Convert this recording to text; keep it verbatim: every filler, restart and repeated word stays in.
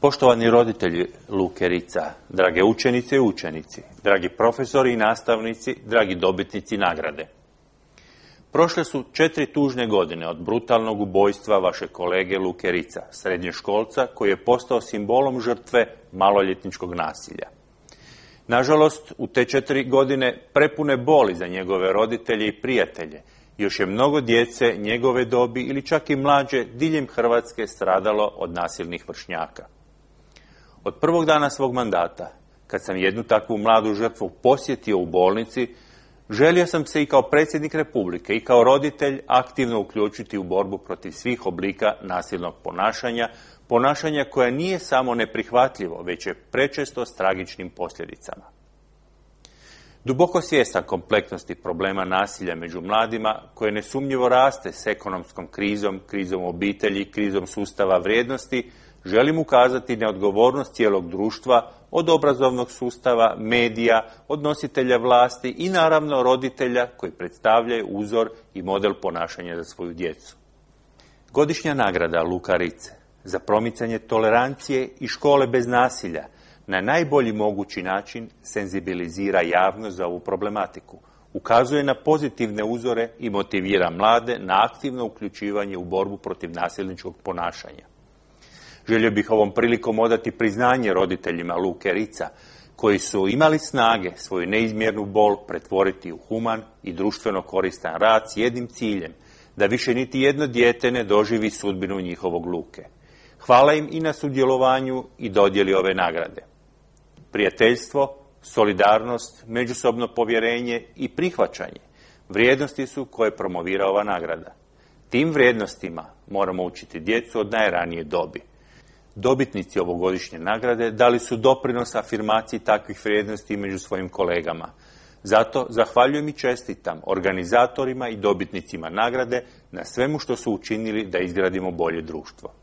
Poštovani roditelji Luke Ritza, drage učenice i učenici, dragi profesori i nastavnici, dragi dobitnici nagrade. Prošle su četiri tužne godine od brutalnog ubojstva vaše kolege Luke Ritza, srednjoškolca koji je postao simbolom žrtve maloljetničkog nasilja. Nažalost, u te četiri godine prepune boli za njegove roditelje i prijatelje, još je mnogo djece njegove dobi ili čak i mlađe diljem Hrvatske stradalo od nasilnih vršnjaka. Od prvog dana svog mandata, kad sam jednu takvu mladu žrtvu posjetio u bolnici, želio sam se i kao predsjednik Republike i kao roditelj aktivno uključiti u borbu protiv svih oblika nasilnog ponašanja, ponašanja koje nije samo neprihvatljivo, već je prečesto s tragičnim posljedicama. Duboko svjestan kompleksnosti problema nasilja među mladima, koje nesumnjivo raste s ekonomskom krizom, krizom obitelji, krizom sustava vrijednosti, želim ukazati na odgovornost cijelog društva, od obrazovnog sustava, medija, od nositelja vlasti i naravno roditelja koji predstavljaju uzor i model ponašanja za svoju djecu. Godišnja nagrada Luka Ritze za promicanje tolerancije i škole bez nasilja na najbolji mogući način senzibilizira javnost za ovu problematiku, ukazuje na pozitivne uzore i motivira mlade na aktivno uključivanje u borbu protiv nasilničkog ponašanja. Želio bih ovom prilikom odati priznanje roditeljima Luke Ritza, koji su imali snage svoju neizmjernu bol pretvoriti u human i društveno koristan rad s jednim ciljem, da više niti jedno dijete ne doživi sudbinu njihovog Luke. Hvala im i na sudjelovanju i dodjeli ove nagrade. Prijateljstvo, solidarnost, međusobno povjerenje i prihvaćanje vrijednosti su koje promovira ova nagrada. Tim vrijednostima moramo učiti djecu od najranije dobi. Dobitnici ovogodišnje nagrade dali su doprinos afirmaciji takvih vrijednosti među svojim kolegama. Zato zahvaljujem i čestitam organizatorima i dobitnicima nagrade na svemu što su učinili da izgradimo bolje društvo.